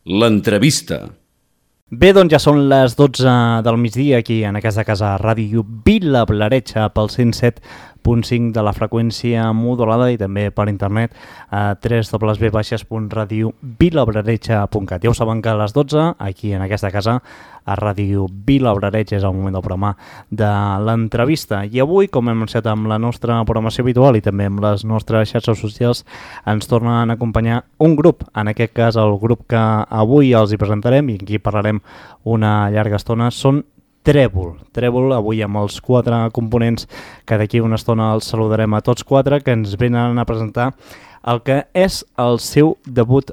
L'entrevista. Bé, doncs ja són les 12 del migdia aquí en aquesta casa Ràdio Vila-Blaretxa pel 107.5 de la freqüència modulada i també per internet a www.radiovilablaretxa.cat. Ja ho saben que a les 12 aquí en aquesta casa a Ràdio Vila-Blaretxa és el moment del programa de l'entrevista. I avui, com hem anunciat amb la nostra programació habitual i també amb les nostres xarxes socials, ens tornen a acompanyar un grup. En aquest cas, el grup que avui els hi presentarem i aquí parlarem una llarga estona són Trèvol. Trèvol, avui amb els 4 components que d'aquí una estona els saludarem a tots 4, que ens venen a presentar el que és el seu debut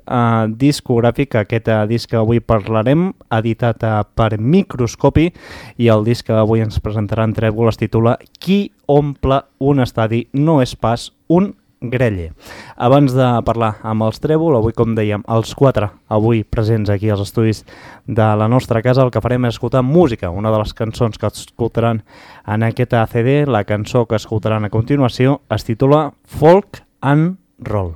discogràfic. Aquest disc que avui parlarem, editat per Microscopi, i el disc que avui ens presentaran Trèvol es titula Qui omple un estadi no és pas un grelle. Abans de parlar amb els Trèvol, avui com dèiem, els 4 avui presents aquí als estudis de la nostra casa, el que farem és escoltar música. Una de les cançons que escoltaran en aquest CD, la cançó que escoltaran a continuació, es titula Folk and Roll.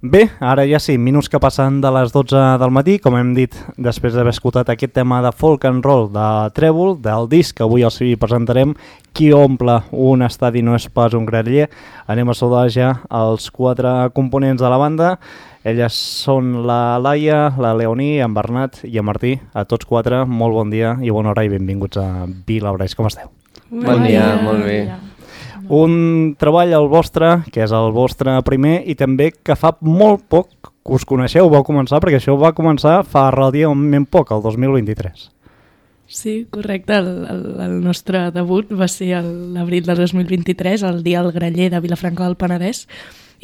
Bé, ara ja sí, minuts que passen de les 12 del matí, com hem dit, després d'haver escoltat aquest tema de folk and roll de Trèvol, del disc que avui els presentarem, Qui omple un estadi no és pas un graller. Anem a saludar ja els 4 components de la banda. Elles són la Laia, la Leoní, en Bernat i en Martí. A tots 4, molt bon dia i bona hora i benvinguts a Vilablareix. Com esteu? Bon dia, molt bé. Un treball el vostre, que és el vostre primer, i també que fa molt poc que us coneixeu, vau començar, perquè això va començar fa relativament poc, el 2023. Sí, correcte. El nostre debut va ser l'abril del 2023, el dia del graller de Vilafranca del Penedès.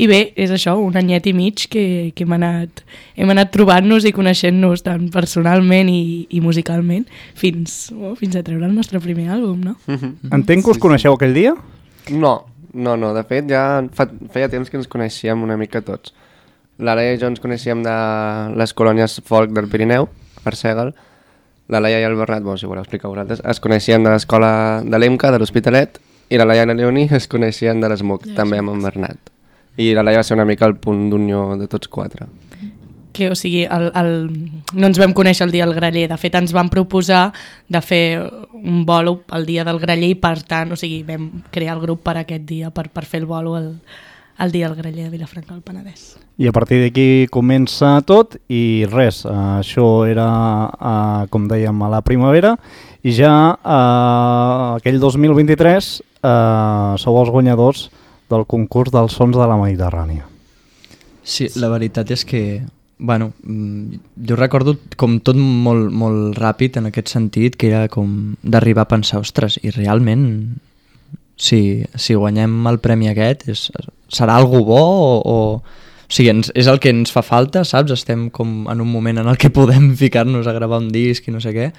I bé, és això, un anyet i mig que hem anat trobant-nos i coneixent-nos tant personalment i musicalment fins a treure el nostre primer àlbum, no? Entenc que us coneixeu aquell dia? No, de fet ja feia temps que ens coneixíem una mica tots. La Laia i jo ens coneixíem de les colònies folk del Pirineu, per Sègel. La Laia i el Bernat, si voleu explicar vosaltres, es coneixien de l'escola de l'EMCA, de l'Hospitalet, i la Laia i la Leoní es coneixien de l'ESMUC, també amb en Bernat. I la Laia va ser una mica el punt d'unió de tots 4. Que, o sigui, no ens vam conèixer el dia del graller, de fet ens van proposar de fer un bolo el dia del graller i per tant, o sigui, vam crear el grup per aquest dia, per fer el bolo el dia del graller de Vilafranca del Penedès. I a partir d'aquí comença tot i res, això era, com dèiem, a la primavera i ja aquell 2023 sou els guanyadors del concurs dels sons de la Mediterrània. Sí, la veritat és que jo recordo com tot molt, molt ràpid en aquest sentit, que era com d'arribar a pensar, ostres, i realment si guanyem el premi aquest serà algú bo o sigui, és el que ens fa falta, saps? Estem com en un moment en el que podem ficar-nos a gravar un disc i no sé què,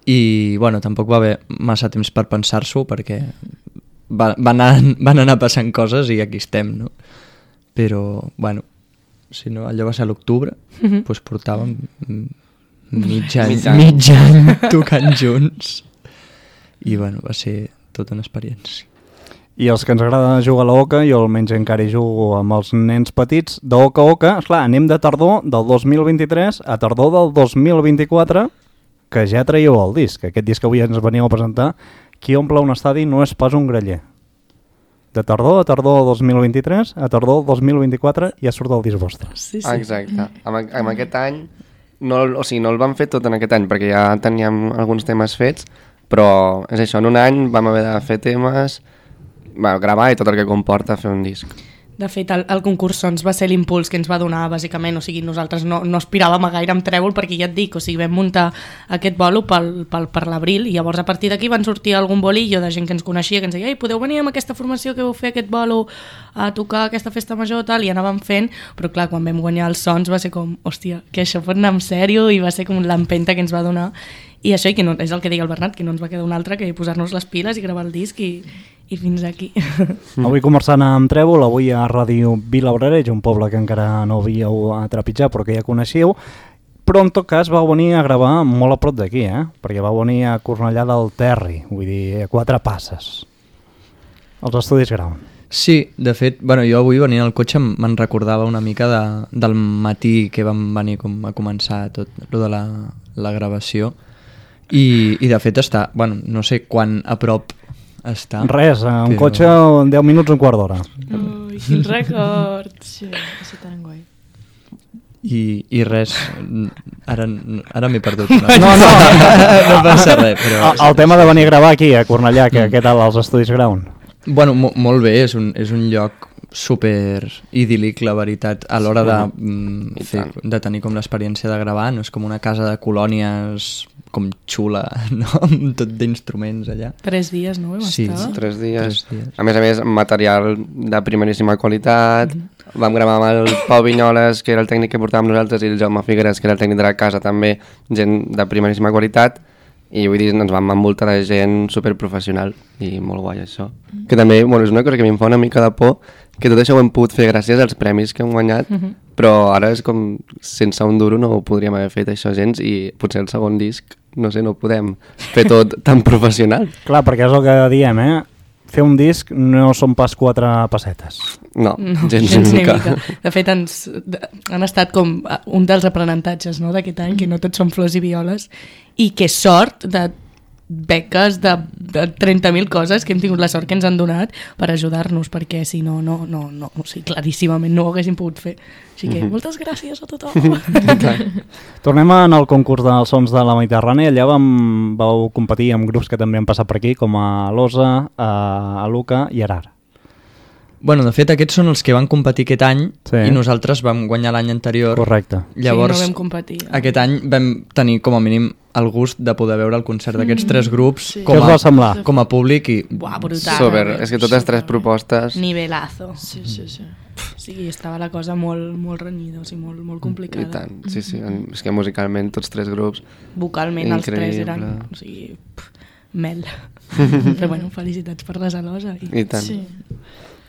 i tampoc va haver massa temps per pensar-s'ho perquè van anar passant coses i aquí estem, no? Però, si no, allò va ser a l'octubre, doncs portàvem mig any tocant junts i va ser tota una experiència. I els que ens agrada jugar a l'oca, jo almenys encara hi jugo amb els nens petits, d'oca a oca, esclar, anem de tardor del 2023 a tardor del 2024, que ja traieu el disc. Aquest disc que avui ens veníeu a presentar, Qui omple un estadi no és pas un graller. De tardor a tardor del 2023 a tardor del 2024 ja surt el disc vostre. Sí. Exacte. Amb aquest any, no el vam fer tot en aquest any perquè ja teníem alguns temes fets, però és això, en un any vam haver de fer temes, gravar i tot el que comporta fer un disc. De fet, el concurs Sons va ser l'impuls que ens va donar, bàsicament. O sigui, nosaltres no aspiràvem a gaire amb Trèvol perquè ja et dic, o sigui, vam muntar aquest bolo per l'abril i llavors a partir d'aquí van sortir algun bolillo de gent que ens coneixia, que ens deia, podeu venir amb aquesta formació que vau fer aquest bolo a tocar aquesta festa major tal, i anàvem fent, però clar, quan vam guanyar els Sons va ser com, hòstia, que això pot anar en sèrio, i va ser com l'empenta que ens va donar. I això, i que no, és el que deia el Bernat, que no ens va quedar un altre que posar-nos les piles i gravar el disc i fins aquí. Avui conversant amb Trèvol, avui a Ràdio Vilablareix, un poble que encara no havíeu trepitjat però que ja coneixíeu, però en tot cas vau venir a gravar molt a prop d'aquí, perquè vau venir a Cornellà del Terri, vull dir, a 4 passes. Els estudis Ground. Sí, de fet, jo avui venint al cotxe me'n recordava una mica del matí que vam venir a començar tot lo de la gravació i de fet està, no sé quan a prop està. Res, un cotxe en 10 minuts, un quart d'hora. Ui, quin record! Sí, va ser tan guai. I res, ara m'he perdut. No passa res. Però... El tema de venir a gravar aquí, a Cornellà, què tal als estudis Ground? Molt bé, és un lloc super idíl·lic, la veritat, a l'hora de tenir com l'experiència de gravar. No és com una casa de colònies com xula, no? Amb tot d'instruments allà. 3 dies, no? Sí, 3 dies. A més, material de primeríssima qualitat. Vam gravar amb el Pau Vinyoles, que era el tècnic que portàvem nosaltres, i el Jaume Figueres, que era el tècnic de la casa, també, gent de primeríssima qualitat. I vull dir, ens vam envoltar de gent superprofessional i molt guai això. Que també, és una cosa que em fa una mica de por, que tot això ho hem pogut fer gràcies als premis que hem guanyat, però ara és com, sense un duro no ho podríem haver fet això gens, i potser el segon disc, no sé, no podem fer tot tan professional. Clar, perquè és el que diem, fer un disc no són pas 4 pessetes. No, gens ni ni mica. De fet, han estat com un dels aprenentatges, no?, d'aquest any, que no tots són flors i violes, i que sort de beques de 30.000 coses que hem tingut la sort que ens han donat per ajudar-nos, perquè si no, o sigui, claríssimament no ho haguéssim pogut fer. Així que moltes gràcies a tothom. Tornem al concurs dels sons de la Mediterrània. Allà vau competir amb grups que també han passat per aquí, com a Losa, a Luca i Arar. Bueno, de fet, aquests són els que van competir aquest any Sí. i nosaltres vam guanyar l'any anterior. Correcte. Llavors, sí, no vam competir. aquest any vam tenir com a mínim el gust de poder veure el concert d'aquests 3 grups Què us va semblar? com a públic i Buah, brutal. Super, és que totes 3 propostes... Nivelazo. Sí. Sí, estava la cosa molt renyida, o sigui, molt complicada. I tant, sí, és que musicalment tots 3 grups... Vocalment els 3 Increïble. eren, o sigui, mel. Però bueno, felicitats per les Alosa. I tant. Sí.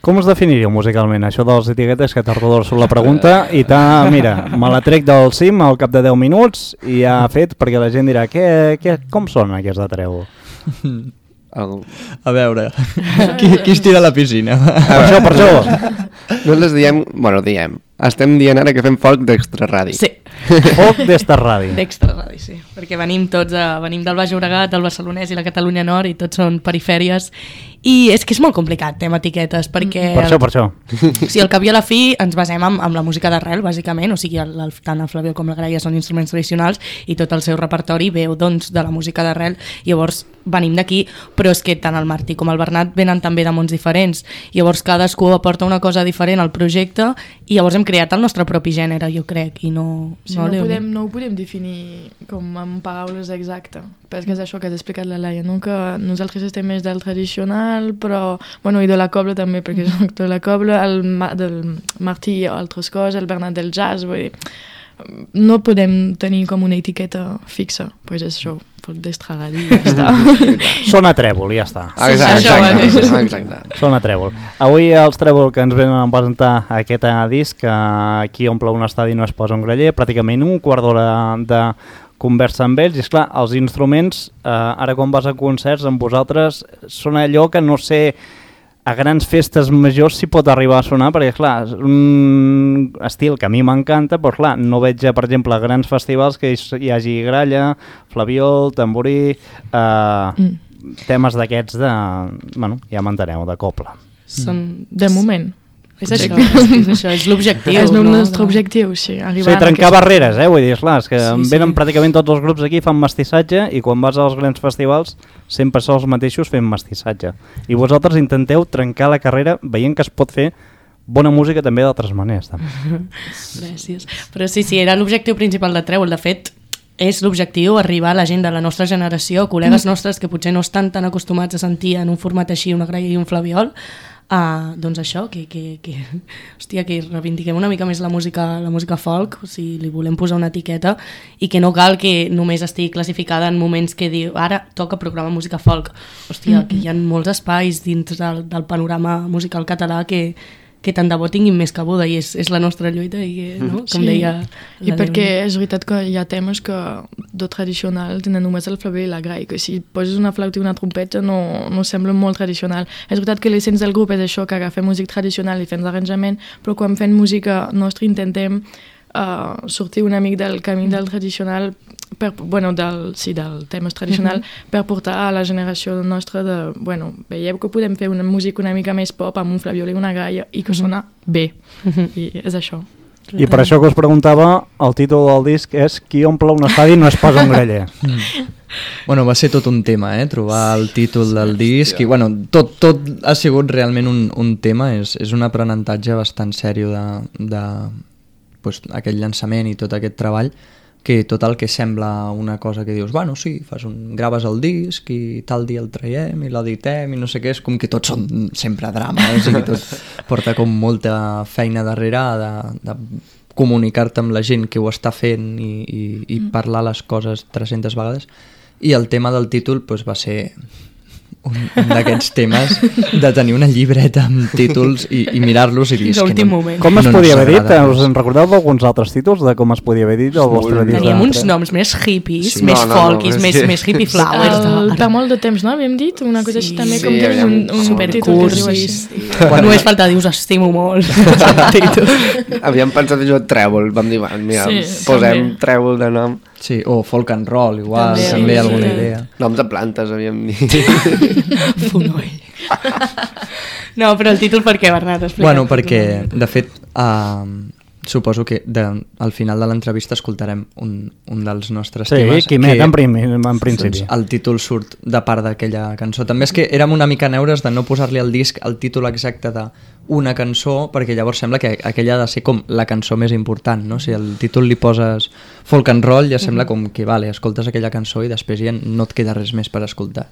Com us definiríeu musicalment? Això de les etiquetes que t'ordor sobre la pregunta i mira, me la trec del cim al cap de 10 minuts i ja ha fet, perquè la gent dirà com són aquests de Trèvol? Algú... a veure, qui es tira a la piscina? Per això. Nosaltres estem dient ara que fem folk d'extraradi. Sí, Foc d'esta ràdio. d'extra ràdio, sí. Perquè venim del Baix Llobregat, del Barcelonès i la Catalunya Nord, i tots són perifèries. I és que és molt complicat, amb etiquetes, perquè... Per això. Sí, al cap i a la fi ens basem amb la música d'arrel, bàsicament, o sigui, tant el Flabiol com la Graia són instruments tradicionals i tot el seu repertori veu, doncs, de la música d'arrel, llavors venim d'aquí, però és que tant el Martí com el Bernat venen també de mons diferents, llavors cadascú aporta una cosa diferent al projecte i llavors hem creat el nostre propi gènere, jo crec, i no ho podem definir com amb paraules exactes, perquè és això que has explicat la Laia, no? Que nosaltres estem més del tradicional, però, bueno, i de la cobla també, perquè soc de la cobla, del Martí altres coses, el Bernat del jazz, vull dir, no podem tenir com una etiqueta fixa, pues és això, pot d'extraradi i ja està. Sona Trèvol, ja està. Exacte. Sona Trèvol. Avui els Trèvol que ens venen a presentar aquest disc, aquí omple un estadi no es posa un graller, pràcticament un quart d'hora de conversa amb ells, i esclar, els instruments, ara quan vas a concerts amb vosaltres, són allò que no sé, a grans festes majors s'hi pot arribar a sonar, perquè clar, és un estil que a mi m'encanta, però clar, no veig, per exemple, a grans festivals que hi hagi gralla, flabiol, tamborí, temes d'aquests de, bueno, ja m'enteneu, de cobla. De moment. És això, és l'objectiu. És el nostre objectiu, sí. Sí, trencar barreres, vull dir, esclar, és que venen pràcticament tots els grups aquí, fan mestissatge, i quan vas als grans festivals sempre són els mateixos fent mestissatge. I vosaltres intenteu trencar la carrera veient que es pot fer bona música també d'altres maneres. Gràcies. Però sí, era l'objectiu principal de Trèvol, de fet, és l'objectiu arribar a la gent de la nostra generació, col·legues nostres que potser no estan tan acostumats a sentir en un format així una graia i un flabiol, doncs això, que reivindiquem una mica més la música folk, o sigui, li volem posar una etiqueta i que no cal que només estigui classificada en moments que diu, ara toca programa música folk. Hòstia, que hi ha molts espais dins del panorama musical català que tant de bo tinguin més cabuda, i és la nostra lluita, i no? Com deia i perquè és veritat que hi ha temes que de tradicional tenen només el flabiol i la graia, que si poses una flauta i una trompeta no sembla molt tradicional. És veritat que l'essència del grup és això, que agafem música tradicional i fem l'arranjament, però quan fem música nostra intentem sortir una mica del camí del tradicional, del tema tradicional, per portar a la generació nostra de, veieu que podem fer una música una mica més pop amb un flabiol i una graia i que sona bé, i és això. I per això que us preguntava, el títol del disc és Qui omple un estadi no es posa un graller. Va ser tot un tema, trobar el títol del disc, i tot ha sigut realment un tema, és un aprenentatge bastant sèrio de aquest llançament i tot aquest treball, que tot el que sembla una cosa que dius, sí, graves el disc i tal dia el traiem i l'editem i no sé què, és com que tots són sempre drames i tot porta com molta feina darrere de comunicar-te amb la gent que ho està fent i parlar les coses 300 vegades, i el tema del títol va ser un d'aquests temes de tenir una llibreta amb títols i mirar-los i dir... Fins a l'últim moment. Com es no podia haver dit? s'agrada Us en recordeu d'alguns altres títols de com es podia haver dit el vostre disc? Teníem uns noms més hippies, Sí. més No, folkies, és que- més hippie flowers. Per molt de temps, no? Havíem dit una cosa així també, com que és aviam, un títol que es diu així. supercursis. Només falta dir, us estimo molt. Havíem pensat en això trèvol, vam dir, mira, Sí, posem també. trèvol de nom. Sí, o folk and roll, igual, També, també sí, alguna sí. idea. Noms de plantes, havíem dit. Fonoll. No, però el títol per què, Bernat? Explica't. Bueno, perquè, de fet, suposo que al final de l'entrevista escoltarem un dels nostres Sí, temes. Quimet, en principi. Doncs, el títol surt de part d'aquella cançó. També és que érem una mica neures de no posar-li al disc el títol exacte d'una cançó, perquè llavors sembla que aquella ha de ser com la cançó més important, no? Si el títol li poses folk and roll, ja sembla com que, vale, escoltes aquella cançó i després ja no et queda res més per escoltar.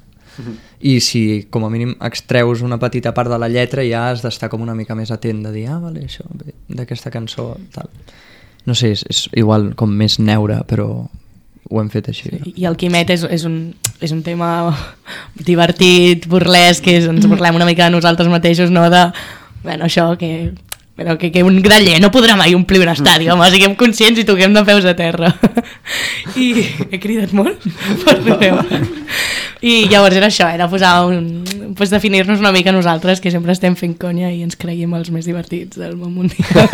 I si com a mínim extreus una petita part de la lletra ja has d'estar com una mica més atent de dir, vale, això ve d'aquesta cançó tal. No sé, és igual com més neure, però ho hem fet així. I el Quimet és un tema divertit, burlesc, que ens burlem una mica de nosaltres mateixos, no de... Bueno, això, però que un graller no podrà mai omplir un estadi, home, siguem conscients i toquem de peus a terra. I he cridat molt? Perdoneu. I llavors era això, era posar pues definir-nos una mica nosaltres, que sempre estem fent conya i ens creiem els més divertits del món mundial.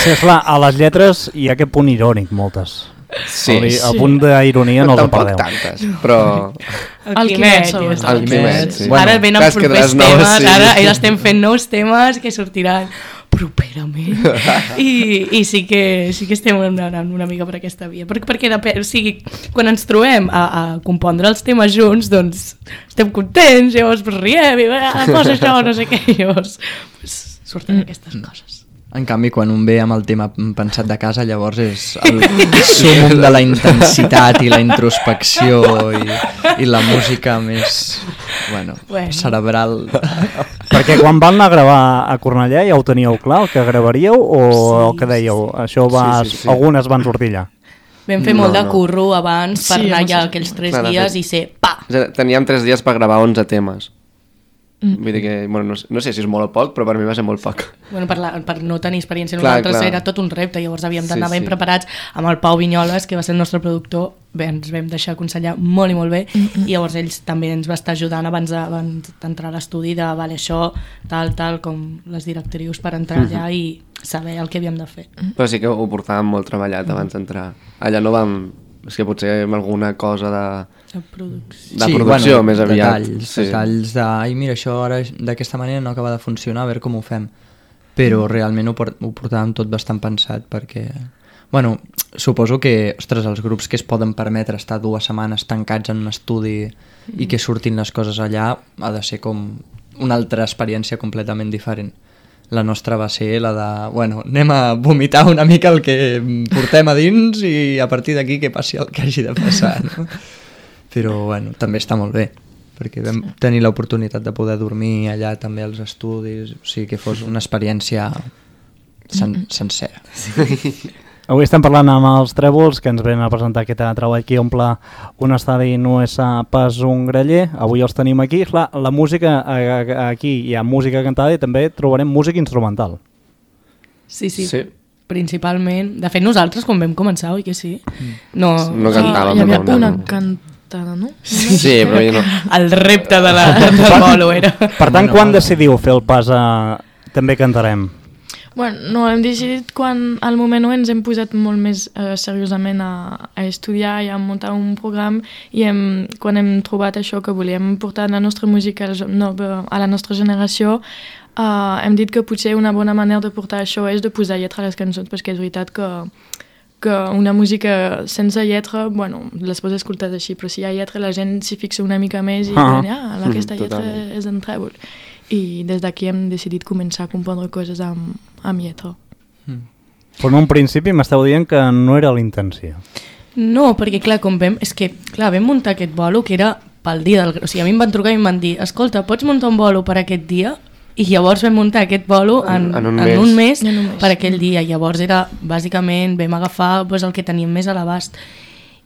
Sí, esclar, a les lletres hi ha aquest punt irònic, moltes. Sí, El punt d'ironia no el tampoc perdeu. tantes, però... El Quimet, sobretot. El Quimet, sí. Ara venen Clar, és que de propers les noves, temes, sí. ara estem fent nous temes que sortiran properament i sí que estem anant una mica per aquesta via, perquè o sigui, quan ens trobem a compondre els temes junts, doncs estem contents, llavors riem i posa això, no sé què, llavors surten aquestes coses. En canvi, quan un ve amb el tema pensat de casa, llavors és el súmum de la intensitat i la introspecció i la música més, bueno, cerebral. Perquè quan van anar a gravar a Cornellà ja ho teníeu clar, el que gravaríeu, o el que dèieu? Això Sí. algunes van sortir allà. Vam fer molt de curro abans per Sí, anar home, allà sí. aquells 3 Clar, de dies fet. i ser pa! Teníem 3 dies per gravar 11 temes. Vull dir que, bueno, no sé si és molt o poc, però per mi va ser molt poc. Bueno, per no tenir experiència Clar, nosaltres clar. era tot un repte, llavors havíem d'anar Sí, ben sí. preparats amb el Pau Vinyoles, que va ser el nostre productor. Bé, ens vam deixar aconsellar molt i molt bé i llavors ells també ens va estar ajudant abans d'entrar a l'estudi de vale, això, tal, com les directrius per entrar allà i saber el que havíem de fer. Però sí que ho portàvem molt treballat abans d'entrar. Allà no vam... És que potser amb alguna cosa De producció. de producció més aviat. Detalls de, ai, mira, això ara d'aquesta manera no acaba de funcionar, a veure com ho fem. Però realment ho portàvem tot bastant pensat perquè... Bueno, suposo que, ostres, els grups que es poden permetre estar 2 setmanes tancats en un estudi i que surtin les coses allà ha de ser com una altra experiència completament diferent. La nostra va ser la de, bueno, anem a vomitar una mica el que portem a dins i a partir d'aquí que passi el que hagi de passar, no? Però, bueno, també està molt bé, perquè vam tenir l'oportunitat de poder dormir allà també als estudis, o sigui que fos una experiència sencera. Avui estem parlant amb els Trèvols, que ens venen a presentar aquest treball que omple un estadi no és pas un graller. Avui els tenim aquí. Clar, la música, aquí hi ha música cantada i també trobarem música instrumental. Sí. Principalment. De fet, nosaltres quan vam començar, oi que sí? No cantàvem. Hi havia no. una cantada, no? Sí, però jo no. El repte del bolo era. Per tant, quan decidiu fer el pas a... també cantarem? Bueno, no, hem decidit quan al moment ens hem posat molt més seriosament a estudiar i a muntar un programa i quan hem trobat això que volíem portar la nostra música a la nostra generació, hem dit que potser una bona manera de portar això és de posar lletra a les cançons, perquè és veritat que una música sense lletra, bueno, les pots escoltar així, però si hi ha lletra la gent s'hi fixa una mica més i aquesta lletra és en Trèvol. I des d'aquí hem decidit començar a compondre coses amb lletra. Però en un principi m'esteu dient que no era la intenció. No, perquè clar, vam muntar aquest bolo que era pel dia del... O sigui, a mi em van trucar i em van dir, escolta, pots muntar un bolo per aquest dia? I llavors vam muntar aquest bolo en un mes per aquell dia. Llavors era, bàsicament, vam agafar el que teníem més a l'abast.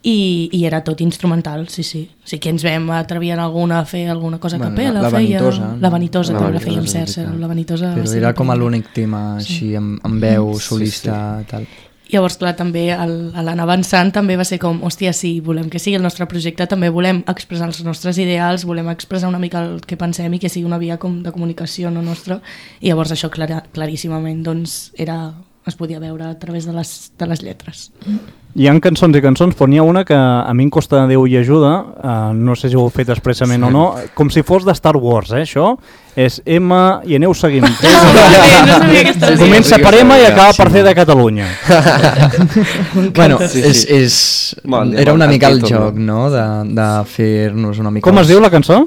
i era tot instrumental, sí. Sí que ens vam atrevir en alguna a fer alguna cosa a capella. La Vanitosa. La Vanitosa també la fèiem, cert. La Vanitosa però era com l'únic tema així, amb veu, solista, tal. Llavors, clar, també a l'anar avançant també va ser com, hòstia, sí, volem que sigui el nostre projecte, també volem expressar els nostres ideals, volem expressar una mica el que pensem i que sigui una via com de comunicació no nostra, i llavors això claríssimament doncs, es podia veure a través de les lletres. Hi ha cançons i cançons, però n'hi ha una que a mi em costa Déu i ajuda, no sé si ho heu fet expressament o no, com si fos de Star Wars, això és M i aneu seguint. Comença per M i acaba per C de Catalunya. Bueno, era una mica el joc, no?, de fer-nos una mica... Com es diu la cançó?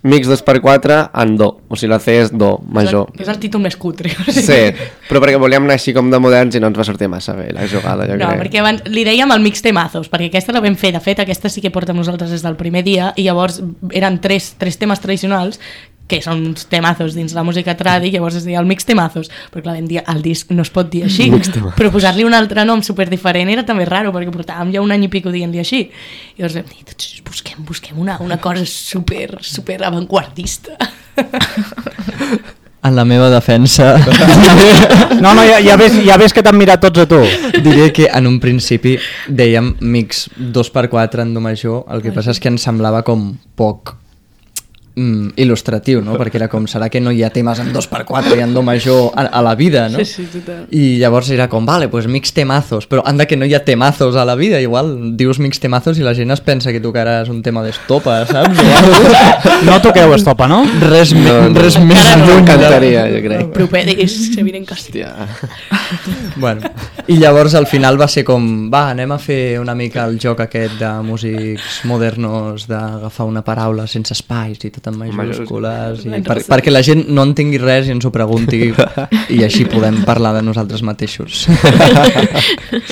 Mix 2x4 en do, o sigui la C és do major. És el títol més cutre. Sí, però perquè volíem anar així com de moderns i no ens va sortir massa bé la jugada, jo crec. No, perquè abans li dèiem el mix temazos, perquè aquesta la vam fer, de fet aquesta sí que porta amb nosaltres des del primer dia, i llavors eren tres temes tradicionals que són uns temazos dins la música tradi, llavors es deia el mix temazos, però clar, vam dir, el disc no es pot dir així, però posar-li un altre nom superdiferent era també raro, perquè portàvem ja un any i pico dient-li així, i llavors vam dir, busquem una cosa super avantguardista. En la meva defensa... No, ja ves que t'han mirat tots a tu. Diré que en un principi dèiem mix 2x4 en do major, el que passa és que ens semblava com poc il·lustratiu, no? Perquè era com, serà que no hi ha temes en 2x4 i en do major a la vida, no? Sí, total. I llavors era com, vale, pues mix temazos, però anda que no hi ha temazos a la vida, igual dius mix temazos i la gent es pensa que tocaràs un tema d'estopa, saps? No toqueu estopa, no? Res més no encantaria, jo crec. Propedis, se vienen casi. Bueno, i llavors al final va ser com, va, anem a fer una mica el joc aquest de músics modernos, d'agafar una paraula sense espais i tot en majúscules, perquè la gent no entengui res i ens ho pregunti i així podem parlar de nosaltres mateixos.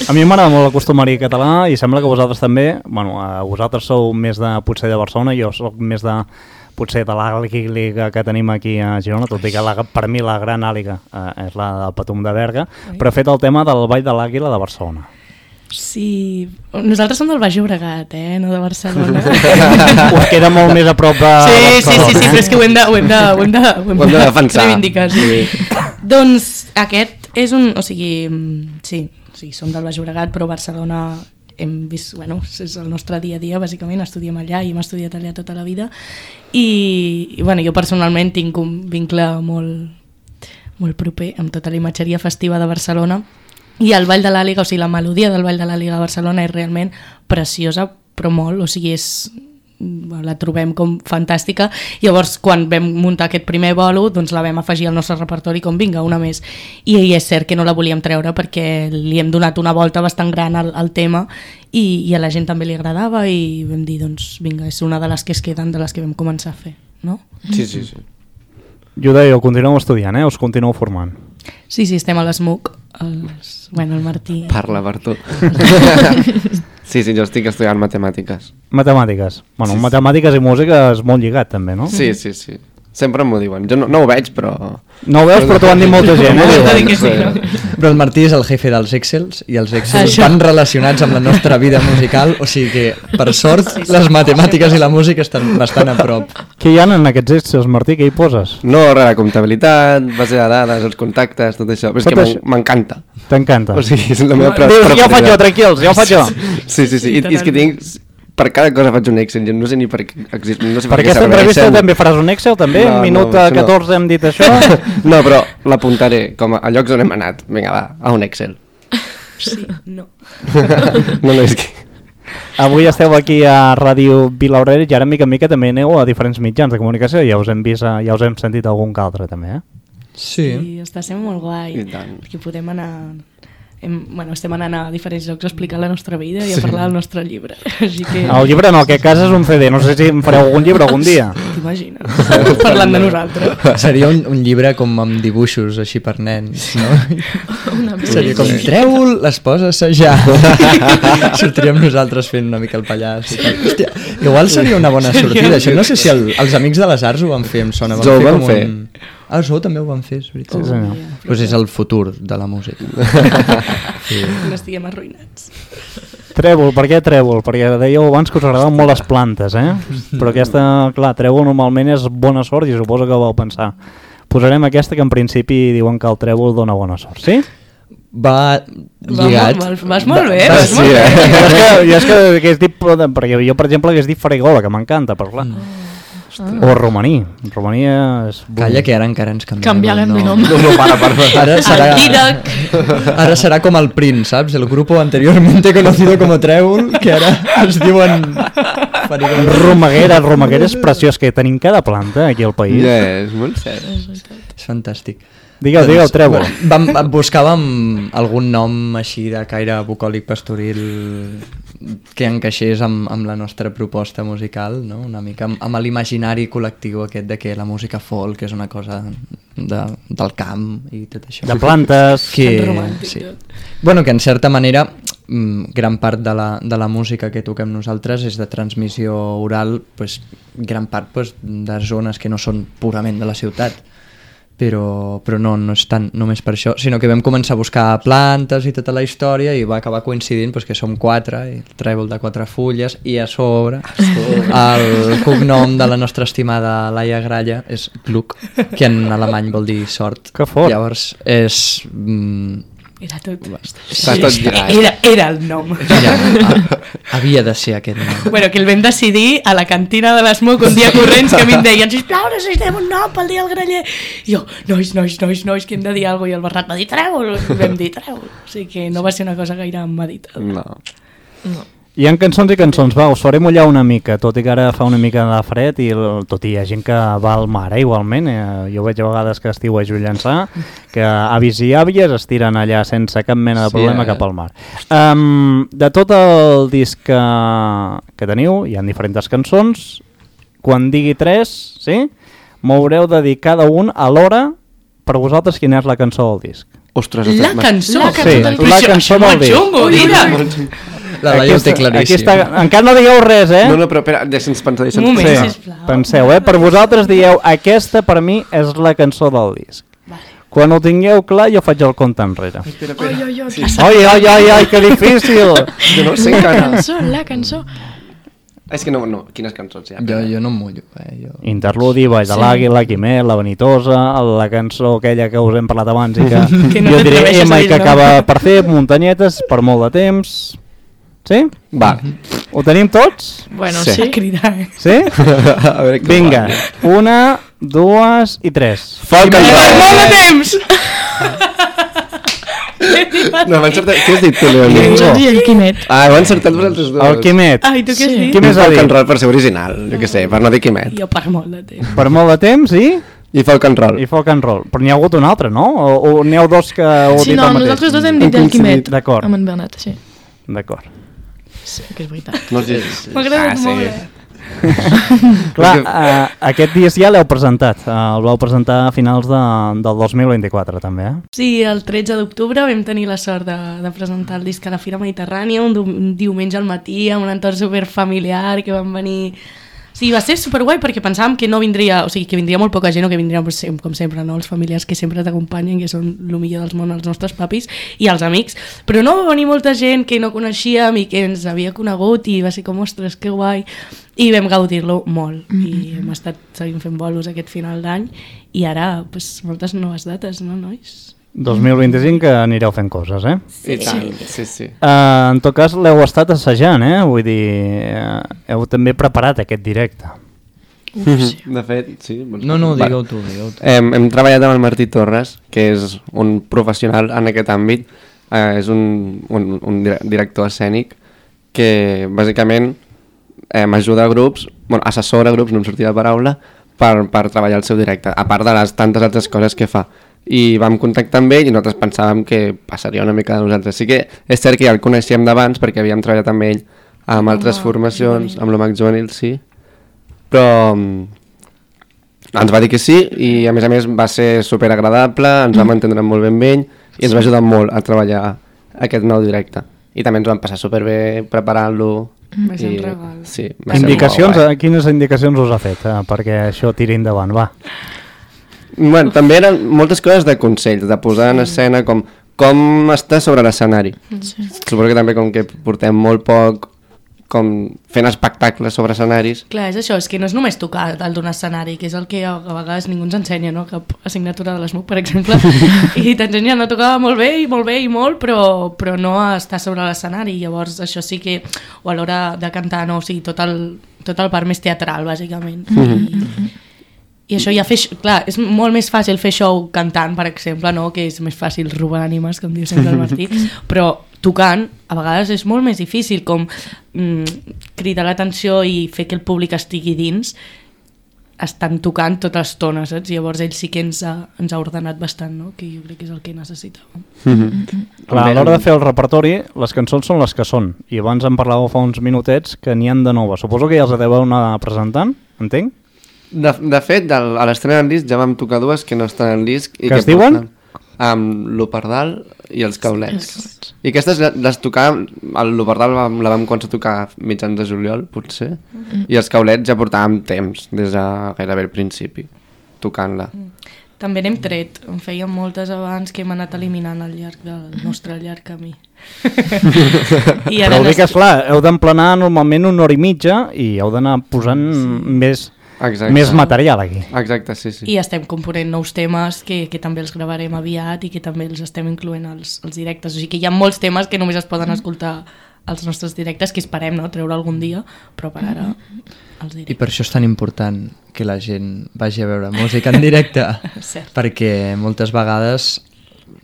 A mi m'agrada molt el costumari català i sembla que vosaltres també, bueno, vosaltres sou més de potser de Barcelona, jo soc més de potser de l'àliga que tenim aquí a Girona, tot i que per mi la gran àliga és la del Patum de Berga, però he fet el tema del Ball de l'Àguila de Barcelona. Sí, nosaltres som del Baix Llobregat, no de Barcelona. Us queda molt més a prop de Barcelona. Sí, però és que ho hem de defensar. Reivindicar, sí. Doncs aquest és un... O sigui, sí, som del Baix Llobregat, però Barcelona hem vist... Bueno, és el nostre dia a dia, bàsicament, estudiem allà i hem estudiat allà tota la vida. I bueno, jo personalment tinc un vincle molt proper amb tota la imatgeria festiva de Barcelona. I el Ball de l'Àliga, o sigui, la melodia del Ball de l'Àliga de Barcelona és realment preciosa, però molt, o sigui, la trobem com fantàstica. Llavors, quan vam muntar aquest primer bolo, doncs la vam afegir al nostre repertori com vinga, una més. I és cert que no la volíem treure perquè li hem donat una volta bastant gran al tema i a la gent també li agradava i vam dir, doncs vinga, és una de les que es queden, de les que vam començar a fer, no? Sí. Jo deia, continueu estudiant, us continueu formant. Sí, estem a l'ESMUC, el Martí... Parla per tu. Sí, jo estic estudiant matemàtiques. Matemàtiques. Bueno, sí. Matemàtiques i música és molt lligat, també, no? Sí. Sempre m'ho diuen. Jo no ho veig, però... No ho veus, però t'ho han dit molta gent. Però el Martí és el jefe dels Excels i els Excels van relacionats amb la nostra vida musical, o sigui que, per sort, les matemàtiques i la música estan bastant a prop. Què hi ha en aquests Excels, Martí? Què hi poses? No, res, comptabilitat, base de dades, els contactes, tot això. Però és que m'encanta. T'encanta? O sigui, és la meva preferitat. Ja ho faig jo, tranquils, ja ho faig jo. Sí. I és que tinc... Per cada cosa faig un Excel, no sé ni per què exist, no sé per aquesta entrevista també faràs un Excel, també? No, minut 14 hem dit això? No, però l'apuntaré com a llocs on hem anat. Vinga, va, a un Excel. Sí, no. No, és que... Avui esteu aquí a Ràdio Vilaurera i ara mica en mica també aneu a diferents mitjans de comunicació, ja us hem vist, ja us hem sentit algun que altre també, Sí, està sent molt guai, perquè podem anar... estem anant a diferents llocs a explicar la nostra vida i a parlar del nostre llibre. Així que... El llibre no, aquest cas és un CD, no sé si em fareu algun llibre algun dia. T'imagines, parlant de nosaltres. Seria un llibre com amb dibuixos així per nens, no? Seria com, treu les poses ja. Sortiríem nosaltres fent una mica el pallàs i tal. Hòstia, igual seria una bona sortida. Això no sé si els Amics de les Arts ho van fer, em sona. Van fer. Ah, això també ho van fer, és veritat. Sí, senyor. Pues és el futur de la música. Sí. No estiguem arruïnats. Trèvol, per què trèvol? Perquè dèieu abans que us agradaven molt les plantes, Però aquesta, clar, trèvol normalment és bona sort i suposo que vau pensar. Posarem aquesta que en principi diuen que el trèvol dona bona sort, sí? Va lligat. Vas molt bé, vas molt bé. Jo és que hagués dit, perquè jo, per exemple, hagués dit farigola, que m'encanta, però clar. O romaní. Romaní és... Calla, que ara encara ens canviarem de nom. No, Ara serà com el Prince, saps? El grupo anteriormente conocido como Trèvol, que ara es diuen... Romaguera. Romaguera és preciós, que tenim cada planta aquí al país. Ja, és molt cert. És fantàstic. Digueu, trèvol. Buscàvem algun nom així de caire bucòlic pastoril que encaixés amb la nostra proposta musical, no? Una mica amb l'imaginari col·lectiu aquest de que la música folk és una cosa del camp i tot això. De plantes. Sí. Bueno, que en certa manera gran part de la música que toquem nosaltres és de transmissió oral, pues, gran part pues, de zones que no són purament de la ciutat. Però no és tant només per això, sinó que vam començar a buscar plantes i tota la història i va acabar coincidint pues, que som 4, i el trèvol de 4 fulles, i a sobre el cognom de la nostra estimada Laia Gralla és Glück, que en alemany vol dir sort. Que fort. Llavors és... Era tot. Està tot lligat. Era el nom. Havia de ser aquest nom. Bueno, que el vam decidir a la cantina de l'Smoke un dia corrents, que a mi em deien, sisplau, necessitem un nom pel dia del graller. I jo, nois, que hem de dir alguna cosa. I el Bernat va dir trèvol. Vam dir trèvol. O sigui que no va ser una cosa gaire meditada. No. Hi ha cançons i cançons, va, us faré mullar una mica, tot i que ara fa una mica de fred i tot i hi ha gent que va al mar, igualment, jo veig a vegades que estiuejo llançar, que avis i àvies es tiren allà sense cap mena de problema cap al mar. De tot el disc que teniu, hi ha diferents cançons, quan digui 3, sí? M'haureu de dir cada un a l'hora per vosaltres quina és la cançó del disc. Ostres, la cançó? Sí, la cançó del disc. Xungo, mira! La Laia ho té claríssim. Encara no digueu res, No, però espera, deixa'ns pensar. Un moment, sisplau. Penseu, per vosaltres dieu, aquesta per mi és la cançó del disc. Vale. Quan ho tingueu clar, jo faig el compte enrere. Oi, Ai, que difícil! Jo no sé encara. La cançó. És que no, quines cançons hi ha? Jo no em mullo. Interludi, Baix de l'Àguila, Quimet, La Vanitosa, la cançó aquella que us hem parlat abans i que no jo diré t'atreveixes a i dir que el nom. acaba per fer Muntanyetes per molt de temps. Sí? Va. Ho tenim tots? Bueno, Sí. sí. Cridar. Sí? A veure què Vinga, va. 1, 2 i 3. Folk and Per roll. molt de temps! No, m'ha encertat. Què has dit tu, Leoni? Jordi i el Quimet. Heu encertat vosaltres dos. El Quimet. Ai, tu què has Sí. dit? Qui més ha Folk and dit? roll per ser original, jo què sé, per no dir Quimet. Jo per molt de temps. Per molt de temps I folk and roll. i folk and roll. Però n'hi ha hagut un altre, no? O n'hi ha dos que ho Sí, dit no, el mateix? nosaltres dos hem dit el Quimet. D'acord. Amb en Bernat, sí. D'acord. Sí, que és veritat. No és... M'ha agradat molt. Clar, aquest disc ja l'heu presentat. El vau presentar a finals del 2024, també, Sí, el 13 d'octubre vam tenir la sort de presentar el disc a la Fira Mediterrània, un diumenge al matí, amb un entorn superfamiliar, que van venir... Sí, va ser superguai perquè pensàvem que no vindria, o sigui, que vindria molt poca gent o que vindrien, com sempre, no? Els familiars que sempre t'acompanyen, que són el millor dels món, els nostres papis i els amics, però no va venir molta gent que no coneixíem i que ens havia conegut i va ser com, ostres, que guai, i vam gaudir-lo molt i hem estat seguint fent bolos aquest final d'any i ara, pues, moltes noves dates, no, nois? 2025 que anireu fent coses, I tant, sí. En tot cas, l'heu estat assajant, Vull dir, heu també preparat aquest directe. De fet, sí. No, digueu tu. Hem treballat amb el Martí Torres, que és un professional en aquest àmbit, és un director escènic que bàsicament ajuda a grups, assessora grups, no em sortia la paraula, per treballar el seu directe, a part de les tantes altres coses que fa. I vam contactar amb ell i nosaltres pensàvem que passaria una mica de nosaltres. Sí que és cert que ja el coneixíem d'abans perquè havíem treballat amb ell amb altres formacions, amb l'Omac Juvenil, sí. Però ens va dir que sí i a més va ser superagradable, ens vam entendre molt ben amb ell i ens va ajudar molt a treballar aquest nou directe. I també ens vam passar superbé preparant-lo. Va ser un regal. Sí, va ser Indicacions, molt guai. quines indicacions us ha fet perquè això tiri endavant, va? Bueno, també eren moltes coses de consells, de posar en escena com està sobre l'escenari. Suposo que també com que portem molt poc com fent espectacles sobre escenaris. Clar, és això, és que no és només tocar dalt d'un escenari, que és el que a vegades ningú ens ensenya, no? Cap assignatura de l'ESMUC, per exemple, i t'ensenyen a tocar molt bé i molt, però no a estar sobre l'escenari. Llavors això sí que, o a l'hora de cantar, no? O sigui, tot el part més teatral, bàsicament. I això ja clar, és molt més fàcil fer show cantant, per exemple, no? Que és més fàcil robar ànimes, com diu sempre el Martí, però tocant a vegades és molt més difícil, com cridar l'atenció i fer que el públic estigui dins, estan tocant tota l'estona, saps? Llavors ell sí que ens ha ordenat bastant, no? Que jo crec que és el que necessitàvem. Clar, a l'hora de fer el repertori, les cançons són les que són, i abans en parlàveu fa uns minutets que n'hi han de noves. Suposo que ja els deveu anar presentant, entenc? De fet, a l'estrena del disc ja vam tocar dues que no estan al disc. Que es diuen? L'Operdal i els Caulets. I aquestes les tocàvem, l'Operdal la vam començar a tocar mitjans de juliol, potser, i els Caulets ja portàvem temps, des de gairebé el principi, tocant-la. També n'hem tret, en fèiem moltes abans que hem anat eliminant al llarg del nostre llarg camí. Però ho dic, esclar, heu d'emplenar normalment 1 hora i mitja i heu d'anar posant més material aquí. Exacte, sí. I estem component nous temes que també els gravarem aviat i que també els estem incloent als directes. O sigui que hi ha molts temes que només es poden escoltar als nostres directes, que esperem treure algun dia, però per ara els directes. I per això és tan important que la gent vagi a veure música en directe, perquè moltes vegades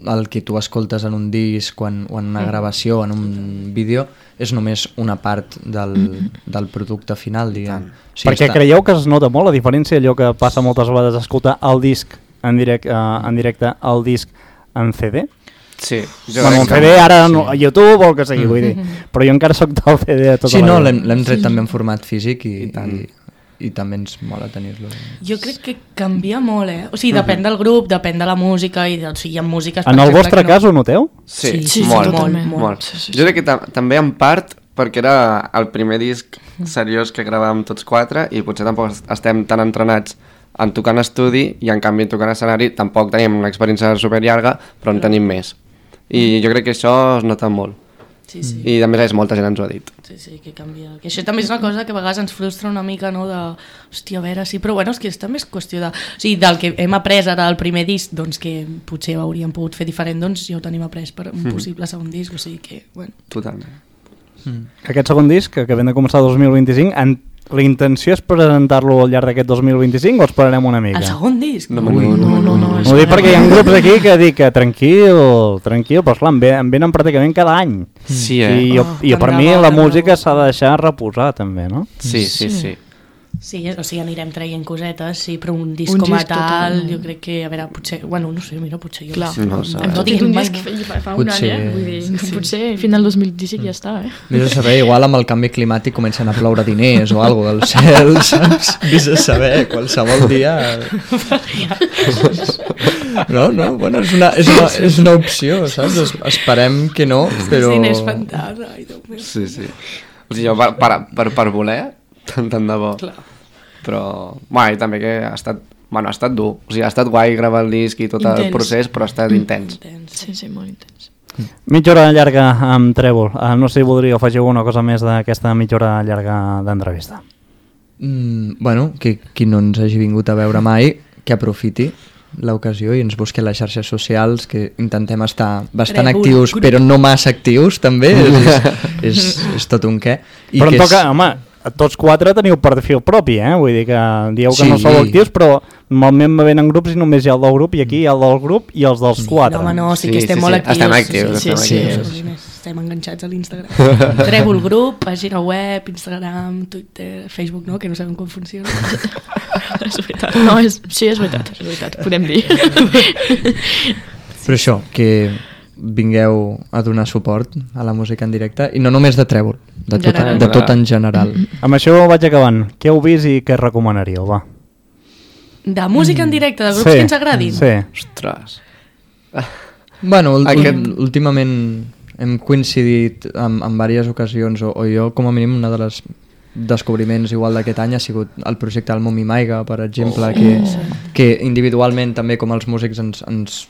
el que tu escoltes en un disc o en una gravació, en un vídeo, és només una part del producte final, diguem. Perquè creieu que es nota molt la diferència, allò que passa moltes vegades escoltar el disc en directe, el disc en CD? Sí. Bueno, en CD ara a YouTube o el que sigui, vull dir. Però jo encara soc del CD de tota la vida. Sí, no, l'hem tret també en format físic i també ens mola tenir-lo. Jo crec que canvia molt, O sigui, depèn del grup, depèn de la música, i o sigui, hi ha músiques... En el vostre cas ho noteu? Sí, molt. Jo crec que també en part perquè era el primer disc seriós que gravàvem tots 4 i potser tampoc estem tan entrenats en tocar en estudi i en canvi en tocar en escenari tampoc tenim una experiència superllarga, però en tenim més. I jo crec que això es nota molt. Sí. I a més molta gent ens ho ha dit. Sí, que canvia. Que això també és una cosa que a vegades ens frustra una mica, no? Hòstia, a veure, sí, però bueno, és que també és qüestió de... O sigui, del que hem après ara del primer disc, doncs que potser hauríem pogut fer diferent, doncs ja ho tenim après per un possible segon disc, o sigui que, bueno... Totalment. Aquest segon disc, que acabem de començar el 2025, la intenció és presentar-lo al llarg d'aquest 2025 o esperarem una mica? El segon disc? No. Ho dic perquè hi ha grups aquí que dic que tranquil, però esclar, em venen pràcticament cada any. Sí, I per mi la música s'ha de deixar reposar també, no? Sí. Sí, o sigui, anirem traient cosetes, sí, però un disc com a tal, jo crec que, a veure, potser, bueno, no sé, mira, potser jo... Clar, no diguem un disc fa un any, vull dir, potser final 2015 ja està, Vés a saber, igual amb el canvi climàtic comencen a ploure diners o alguna cosa del cel, saps? Vés a saber, qualsevol dia... No, bueno, és una opció, saps? Esperem que no, però... Diners fantasma, ai, Déu meu. Sí. O sigui, per voler, tant de bo. Clar. Però, i també que ha estat dur. O sigui, ha estat guai gravar el disc i tot el procés, però ha estat intens. Sí, molt intens. Mitja hora llarga amb Trèvol. No sé si voldria afegir alguna cosa més d'aquesta mitja hora llarga d'entrevista. Bueno, que qui no ens hagi vingut a veure mai, que aprofiti l'ocasió i ens busqui a les xarxes socials, que intentem estar bastant actius, però no massa actius, també. És tot un què. Però em toca, home, tots 4 teniu perfil propi, vull dir que dieu que no sou actius, però normalment me venen grups i només hi ha el del grup i aquí hi ha el del grup i els dels 4. No, home, no, sí que estem molt actius. Estem actius. Estem enganxats a l'Instagram. Trèvol grup, pàgina web, Instagram, Twitter, Facebook, no? Que no sabem com funciona. És veritat. No, és veritat, podem dir. Però això, que vingueu a donar suport a la música en directe, i no només de Trèvol, de tot en general. Amb això vaig acabant. Què heu vist i què recomanaríeu, va? De música en directe, de grups que ens agradin? Sí. Ostres. Bueno, últimament hem coincidit en diverses ocasions, o jo com a mínim una de les descobriments igual d'aquest any ha sigut el projecte del Mumi Maiga, per exemple, que que individualment també com els músics ens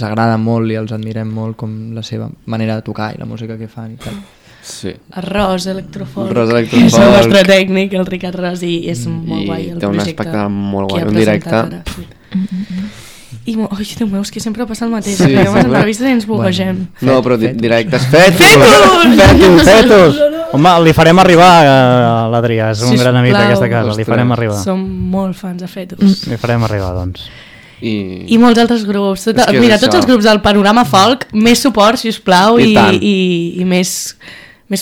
agrada molt i els admirem molt com la seva manera de tocar i la música que fan i tal. Sí. Arròs Electrofolk. Arròs És el Electrofolk. nostre tècnic, el Ricard Ros, i és molt guai el té un projecte. espectacle molt que guai, ha un directe. presentat ara, sí. I, oi, Déu meu, és que sempre passa el mateix. Sí, Sí, les sempre. entrevistes i ens buguegem. No, però directes. Fetos! Fetos! Home, li farem arribar a l'Adrià, és un gran amic Sisplau. d'aquesta casa, li farem arribar. Som molt fans de Fetus. Li farem arribar, doncs. I molts altres grups. És que és Mira, això. tots els grups del Panorama Folk, més suport, sisplau, I tant. i més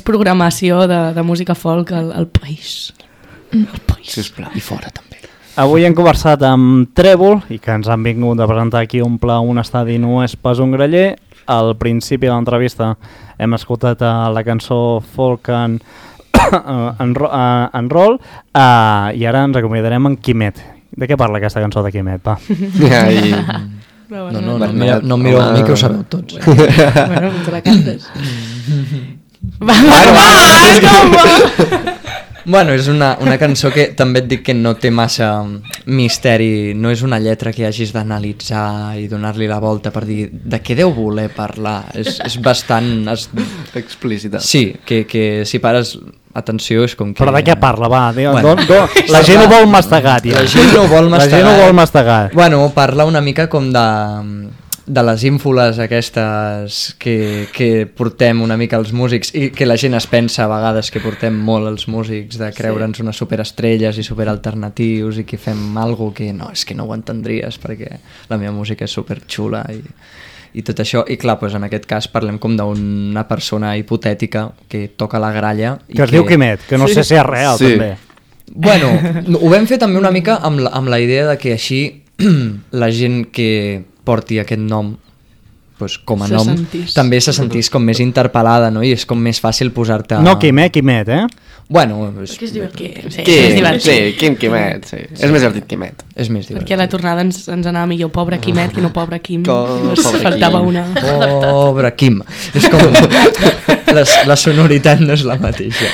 programació de música folk al país. Al país. Sisplau. I fora també. Avui hem conversat amb Trèvol i que ens han vingut a presentar aquí un estadi no és pas un graller. Al principi de l'entrevista hem escoltat la cançó Folk and Roll i ara ens acomiadarem amb Quimet. De què parla aquesta cançó de Quimet, va? No em mireu a mi que ho sabeu tots. Bueno, ens la cantes. Va. Bueno, és una cançó que també et dic que no té massa misteri, no és una lletra que hagis d'analitzar i donar-li la volta per dir de què deu voler parlar, és bastant... Explícita. Sí, que si pares atenció és com que... Però de què parla, va? Bueno. La gent ho vol mastegar, tio. La gent no vol mastegar. La gent ho vol mastegar. Bueno, parla una mica com de les ínfoles aquestes que portem una mica els músics i que la gent es pensa a vegades que portem molt els músics de creure'ns unes superestrelles i superalternatius i que fem alguna que no, és que no ho entendries perquè la meva música és superxula i tot això, i clar, doncs en aquest cas parlem com d'una persona hipotètica que toca la gralla i que es diu Quimet, que no sé si és real també. Bueno, ho vam fer també una mica amb la idea de que així la gent que porti aquest nom pues, com a nom també se sentís com més interpel·lada, no? I és com més fàcil posar-te... No Quimet, eh? Bueno, és que és divertit. Sí, és divertit. Sí, Quimet, sí. És més divertit Quimet. És més divertit. Perquè a la tornada ens anava millor pobre Quimet que no pobre Quim. Pobre Faltava Quim. una. Pobre Quim. És com... la sonoritat no és la mateixa.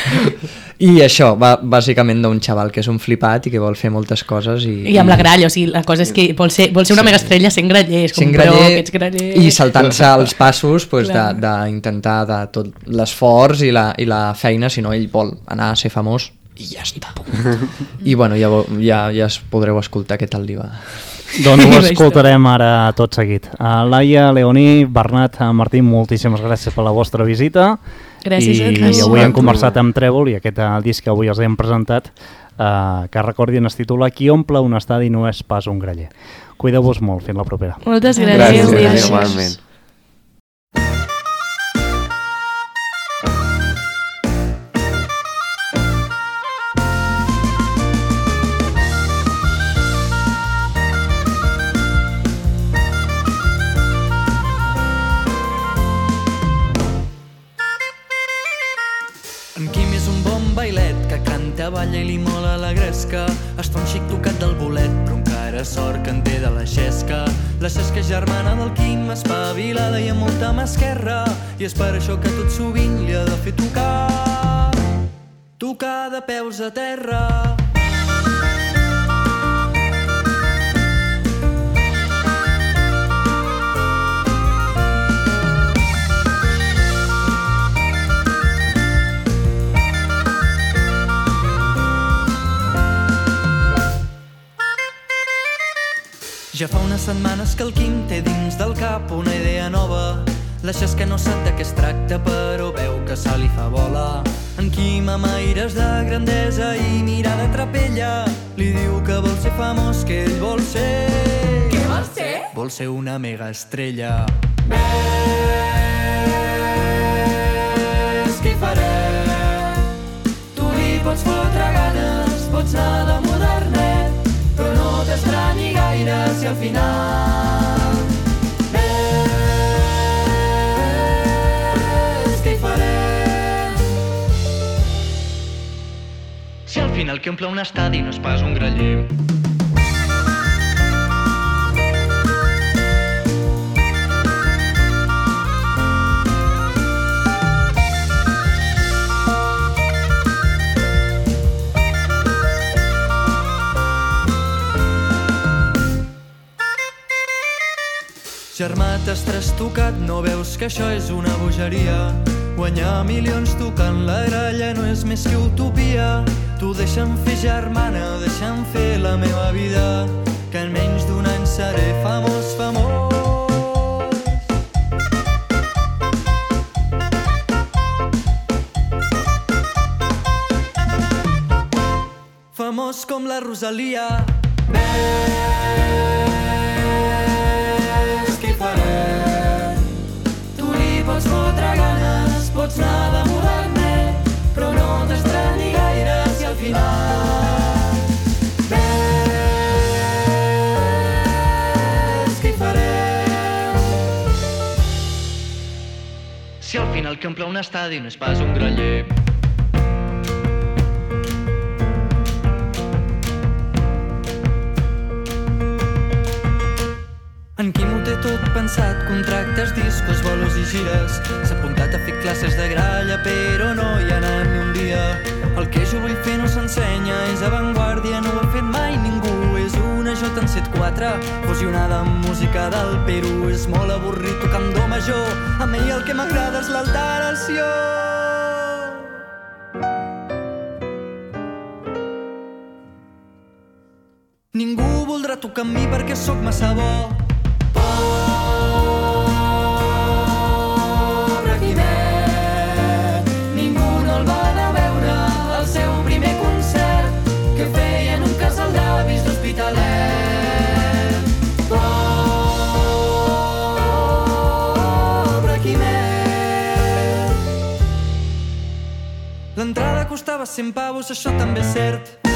I això va bàsicament d'un xaval que és un flipat i que vol fer moltes coses I amb la gralla, o sigui, la cosa és que vol ser una mega estrella sent graller, és com, però que ets graller... I saltant-se els passos pues, d'intentar de tot l'esforç i la feina, si no ell vol anar a ser famós i ja està. I bueno, ja es podreu escoltar què tal li va. Doncs ho escoltarem ara tot seguit. Laia, Leoní, Bernat, Martí, moltíssimes gràcies per la vostra visita. Gràcies a tu. I avui hem conversat amb Trèvol i aquest disc que avui els hem presentat, que recordin es titula Qui omple un estadi no és pas un graller. Cuideu-vos molt, fins la propera. Moltes gràcies. Gràcies, igualment. Balla i li mola la gresca, es fa un xic tocat del bolet, però encara sort que en té de la xesca. La xesca germana del Quim, espavilada i amb molta mà esquerra, i és per això que tot sovint li ha de fer tocar de peus a terra. Ja fa unes setmanes que el Quim té dins del cap una idea nova. La xesca no sap de què es tracta, però veu que se li fa bola. En Quim, amb aires de grandesa i mirada trapella, li diu que vol ser famós, que ell vol ser... Què vol ser? Vol ser una mega estrella. Ves què hi farem? Tu li pots fotre ganes, pots anar de modernet, però no t'estranyi gaire si al final ves què hi farem. Si al final qui omple un estadi no és pas un graller. Germà, t'has trastocat, no veus que això és una bogeria? Guanyar milions tocant la gralla no és més que utopia. Tu deixa'm fer, germana, deixa'm fer la meva vida, que en menys d'un any seré famós, famós. Famós com la Rosalia. Ves què hi farem? Tu li pots fotre ganes, pots anar de modernet, però no t'estranyi gaire si al final ves què hi farem? Si al final que omple un estadi no és pas un graller. En Quim ho té tot pensat, contractes, discos, bolos i gires. S'ha apuntat a fer classes de gralla, però no hi ha anat ni un dia. El que jo vull fer no s'ensenya, és avantguàrdia, no ho ha fet mai ningú. És una J en 7/4, fusionada amb música del Perú. És molt avorrit tocant do major, a mi el que m'agrada és l'alteració. Ningú voldrà tocar amb mi perquè sóc massa bo. Pobre Quimet, ningú no el va anar a veure al seu primer concert que feia en un casal d'avis d'Hospitalet. Pobre Quimet. L'entrada costava 100 pavos, això també és cert.